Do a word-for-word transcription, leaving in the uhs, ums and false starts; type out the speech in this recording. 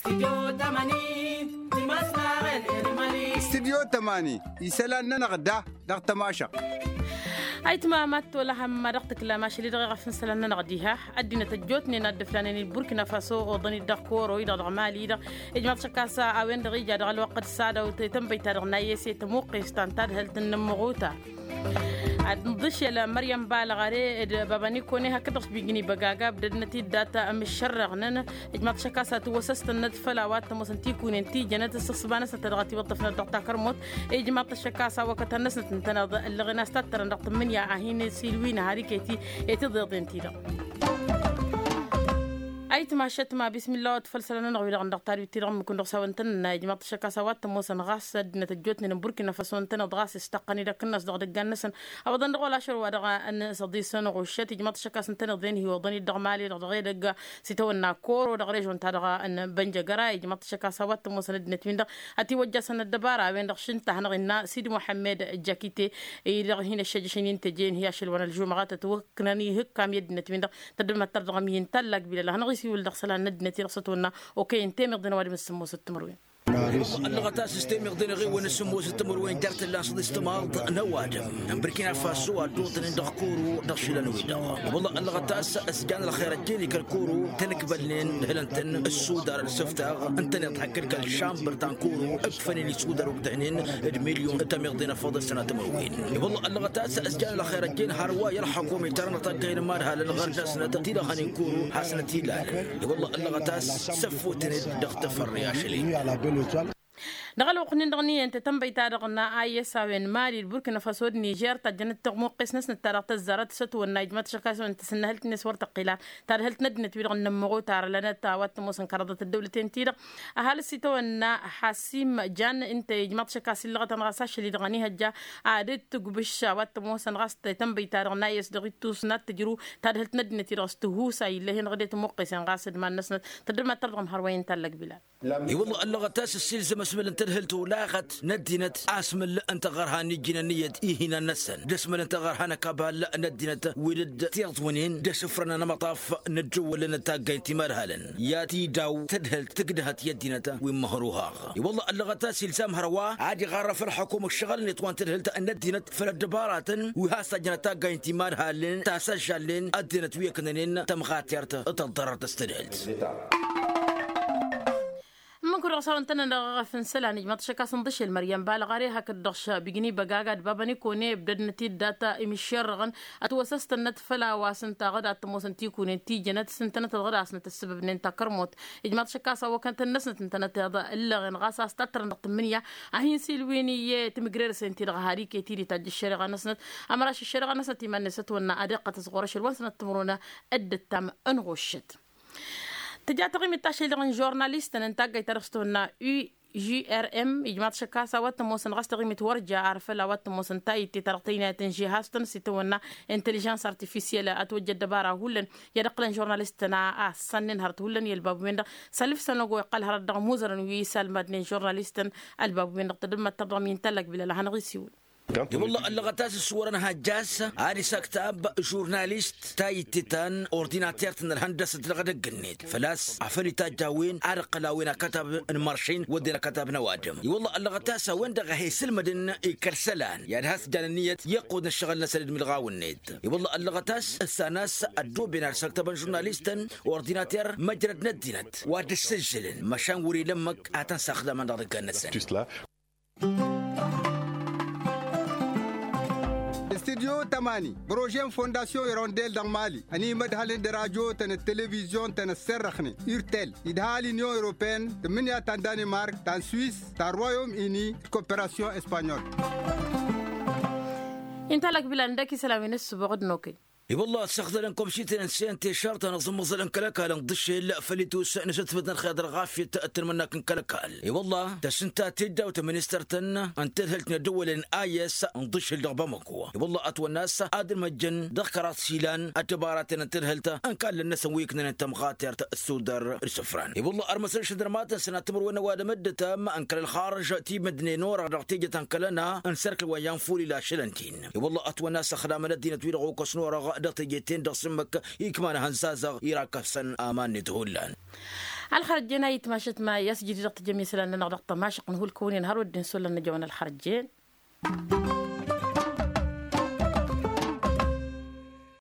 Stidyo tămani isălan-nănăɣ da dăɣ-tămašăɣt. Ayǝtma mad-tolăhăm ma dăɣ-tǝklam ašăl-i-dăɣ iɣăf n-isălan-nănăɣ diha. Ăddinăt ăjjootnen a dd-ǝflanen i-burkina faso oḍăn-dd dăɣ-koro-i-dăɣ dăɣ-mali-dăɣ. Ijmaḍ-t ašăk a-s a-wen-dăɣ ija dăɣ-ălwăqq d-sadaw tănbăyt-ta-dăɣ n-a i-s i-tămuqqes ta n-tadhǝlt n-inǝmmăɣuta ad-nǝḍǝšel măryăm balăɣare d-baba nikone hakd-dăɣ s-bijǝn ibăgaga ǝbdădnăt-dd data ămǝššărrăɣnăn. Ijmaḍ-t ašăk a-s atǝwwăsăstănnăt făll-a-wa t-ămoosăn tikunen ti jănăt ǝssăɣsǝba-năsnăt ta dăɣ-ătiwăṭṭăfnăt dăɣ-takărmut. Ijmaḍ-t ašăk a-s awăkătăn-năsnăt ǝntăneḍ ǝllăɣen a-s tattărăn dăɣ-tǝmmǝnǝya a hin-ăsilwin har iket-i i-tiḍeḍen-ti-dăɣ. Ayǝtma ašăt ma bismilla wa t-făll-isălan-nănăɣ wi-dăɣ n-dăɣ tadwit-ti-dăɣ ǝmmǝk-win-dăɣ s-a-wa ǝntănănna ijmaḍ-t ašăk a-s a-wa t-ămoosăn ɣas ăddinăt ăjjootnen n-burkina faso ǝntăneḍ ɣas ǝstăqqăn-dd akǝnnas dăɣ-idăggan-năsăn. Ăwwăḍăn dăɣ-wăla ašăl wa dăɣ-nǝsăḍis n-ɣuššăt ijmaḍ-t ašăk a-s ǝntăneḍ-en hi-oḍăn-dd dăɣ-mali-dăɣ dăɣ-edăgg s-itawănna koro dăɣ-režon-ta-dăɣ n-bănjăgăra ijmaḍ-t ašăk a-s a-wa t-ămoosăn ăddinăt-win-dăɣ ătiwăjjasăn ăddăbara a-wen-dăɣ šǝnta a hanăɣ-innă sidi muḥămmed jakite-i-dăɣ hin-ăššăjjăšăn i n-teje-in hi-ašăl wa n-ălžumăɣăt ătwăknăn ihǝkkam i-ăddinăt-win-dăɣ. Tăddămăttăr dăɣ-ămyin tallak bilăl a hanăɣ-isiwǝl dăɣ-isălan n-ăddinăt-i-dăɣ s-ătwănna okăyăn temeḍen ăwadǝm s-sǝmmosăt timǝrwen. Ăllăɣăt a-s s-temeḍen ăɣewăn s-sǝmmosăt timǝrwen jer-tǝlla n-săḍis timaḍ n-ăwadǝm n-burkina faso a dd-oḍănen dăɣ-koro dăɣ-išilan-wi-dăɣ. I-wălla ăllăɣăt a-s s-jan ălxer ăjjeen i-kăl-koro tănǝkbălnen hǝlăn-tăn ǝssudar d-isǝftaɣ ǝntăneḍ hakd kăl-šambăr ta n-koro ǝkfănen isudar okdăhnen d-milyon tămeḍen ăffăḍ d-sănat timǝrwen. I-wălla ăllăɣăt a-s s-jan ălxer ăjjeen hărwa i-ălxăkum itarăn taggayen imadhalăn ɣărd-năsnăt ti-dăɣ hănen koro hasnăt-ilalăn. I-wălla ăllăɣăt a-s săffotnen-dd dăɣ-tafărre ašăl-i. Dăɣ-ălwăqq-nin-dăɣ n-iyyăn tetănbăy-ta-dăɣ n-ayes a-wen mali d-burkina faso d-nižer tajjănăt tiɣmuqqes-năsnăt ta dăɣ-tăzzarăt s-ătwănna ijmăḍ-t ašăk a-s a-wen tǝsǝnnăhǝlt-net wăr tăqqila. Tadhǝlt n-ăddinăt-wi-dăɣ n-inǝmmăɣuta arălănăt a-wa t-ămoosăn kăraḍăt ăddăwlăten-ti-dăɣ. Ăhalǝs itawănna ḥasim jan ǝnta ijmăḍ-t ašăk a-s illăɣătăn ɣas ašăl-i-dăɣ ănihăjja ad-dd-tǝgbǝš a-wa t-ămoosăn ɣas tetănbăy-ta-dăɣ n-ayes dăɣ-ittus n-ad-tǝjrǝw. Tadhǝlt n-ăddinăt-i-dăɣ s-tǝhusa illăh-en dăɣ-dd-tǝmuqqesen ɣas d-iman-năsnăt. Tăddămăttăr dăɣ-imhărwăyăn tallăg bilal. I-wălla ăllăɣăt a-s ăssiilzăm asmăl n-tadhǝlt olaɣăt n-ăddinăt asmăl n-taɣărha n-ijjǝn ănniyăt ihinan-năsăn d-asmăl n-taɣărha n-akabal n-ăddinăt wi dd-tiḍwǝnen d-asǝfrăn anămăṭṭaf n-ăddăwălăn d-taggayt timadhalăn i-ad-t-idaw tadhǝlt tǝgdăhăt i-ăddinăt wi n-măhruhaɣ. I-wălla ăllăɣăt a-s ilzam hărwa ad-iɣarrăf ălxăkum ǝššăɣǝlnet wa n-tadhǝlt n-ăddinăt făll-ăddăbaratăn wi has-tajjăn ad-taggayt timadhalăn tasăžžalnen ăddinăt wi ǝknănen tămɣatert d-tăḍḍărărt s-tadhǝlt. Ǝmmǝk-wi-dăɣ s-a-wen tăn-ănăɣ ăɣăf n-isălan ijmaḍ-t ašăk a-s ǝnḍǝšel măryăm balăɣare hakd-dăɣ š-bigni băgaga d-baba n-ikone ǝbdădnăt-dd data imǝššerrăɣăn. Ătwăsăstănnăt făll-a-wa s-ǝntaɣ d-ad-t-ămoosăn tikune n-tijjănăt s-ǝntănăt tăḍɣăd asnăt ăssǝbăbnen takărmut. Ijmaḍ-t ašăk a-s awăkăn-tăn-năsnăt ǝntănăt iḍa ǝllăɣen ɣas a-s tattărăn dăɣ-tǝmmǝnǝya a hin-silwin iyyăt timǝgrerăsen-ti-dăɣ har iket-i d-itajj ăššăriɣa-năsnăt. Ămăraš ăššăriɣa-năsnăt iman-net ătwănna ad-iqqăt s-ɣur-ašăl wa n-sănăt timǝrwen. Dd-ǝttam ănɣuššăt tǝja taɣimit tašăl-i-dăɣ n-žurnalistăn n-taggayt ta dăɣ-s tihunna ujrm ijmaḍ-t ašăk a-s a-wa t-ămoosăn ɣas taɣimit wăr ja ar făll-a-wa t-ămoosăn tayǝtte ta dăɣ-tăynayăt n-žihaz-tăn s-itawănna intăližans artifisyel ătwăjja ăddăbara hullan. I-ad-ǝqqǝlăn žurnalistăn a ăssannăn hărăt hullan i-ălbabu-wen-dăɣ. Sălǝf sănăgo iqqăl hărăt dăɣ-imuzărăn wi isalmadnen žurnalistăn. Ălbabu-wen-dăɣ tădǝmmăttăr dăɣ-mi n-tallak bilal a hanăɣ-isiwǝl. I-wălla ăllăɣăt a-s ǝssǝwărăn hajj a-s ad-isăktab žurnalist tayǝtte ta n-ordinater-tăn ălhăndăsăt dăɣ-edăgg-net făl-a-s afăl itajj a-wen ad-ǝqqăl a-wen akătab n-imăršin wădden akătab n-ăwadǝm. I-wălla ăllăɣăt a-s a-wen-dăɣ a he-sǝlmădăn ikăl isălan i-ad-has-jan ǝnniyăt iqqud n-ǝššăɣǝl-năsăn d-imǝlɣaw-net. I-wălla ăllăɣăt a-s ǝssan a-s ăddooben ad-săktăbăn žurnalistăn ordinater măjrăd n-ăddinăt wa dd-sǝžžǝlăn măšan wăr-ila ǝmmǝk ad-tăn-saxdamăn dăɣ-idăggan-năsăn. Studyo tămani prože n-fondasyon irondel dăɣ-mali ănimădhălăn d-radyo-tăn d-televizyon-tăn ăssărrăxnen urtel idha l-inyon europeyăn tǝmmǝnǝya ta n-danimark ta n-swis ta n-royom ini d-koperasyon espanyol. Inta lăkbilan dăk-isălan wi n-ǝssǝboɣ d-nokăy. I-wălla ăssăxdălăn komšităn n-sente šartăn ăẓǝmmăẓălăn kăl-ăkall ǝnḍǝšel făll-itus n-asǝtfǝd n-ălxer dăɣ-ɣafyăt d-tǝnmǝnnak n-kăl-ăkall. I-wălla tăsǝnta teddaw tăministăr-tăn n-tadhǝlt n-ăddăwălăn a i-s ǝnḍǝšel dăɣ-bamăko. I-wălla ătwănna a-s ad-ǝlmăjjăn dăɣ-kăraḍ s-ilan ăddăbaratăn n-tadhǝlt n-kallăn-năsăn wi ǝknănen tămɣatert s-tudăr d-isǝfran. I-wălla ărmăsăn šădărmatăn sănat timǝrwen n-ăwadǝm dd-ătam n-kăl-ălxarǝj timǝdnen orăɣ dăɣ-teje ta n-kăl-ăna n-sărkǝl wa n-yanful ila ašăl ǝntin. I-wălla ătwănna a-s ăxlamăn ăddinăt-wi-dăɣ okăs n-orăɣ dăɣ-teje-ten-dăɣ s-ǝmmǝk ikman ihănzazăɣ irakăfsăn aman-net hullan. Ălxărăjjen a itmašăt ma i-asjădid dăɣ-tijăm isălan-nănăɣ dăɣ-tămašăq n-hulkăwăn-in hărwa dd-insulăn n-ajăwăn ălxărăjjen.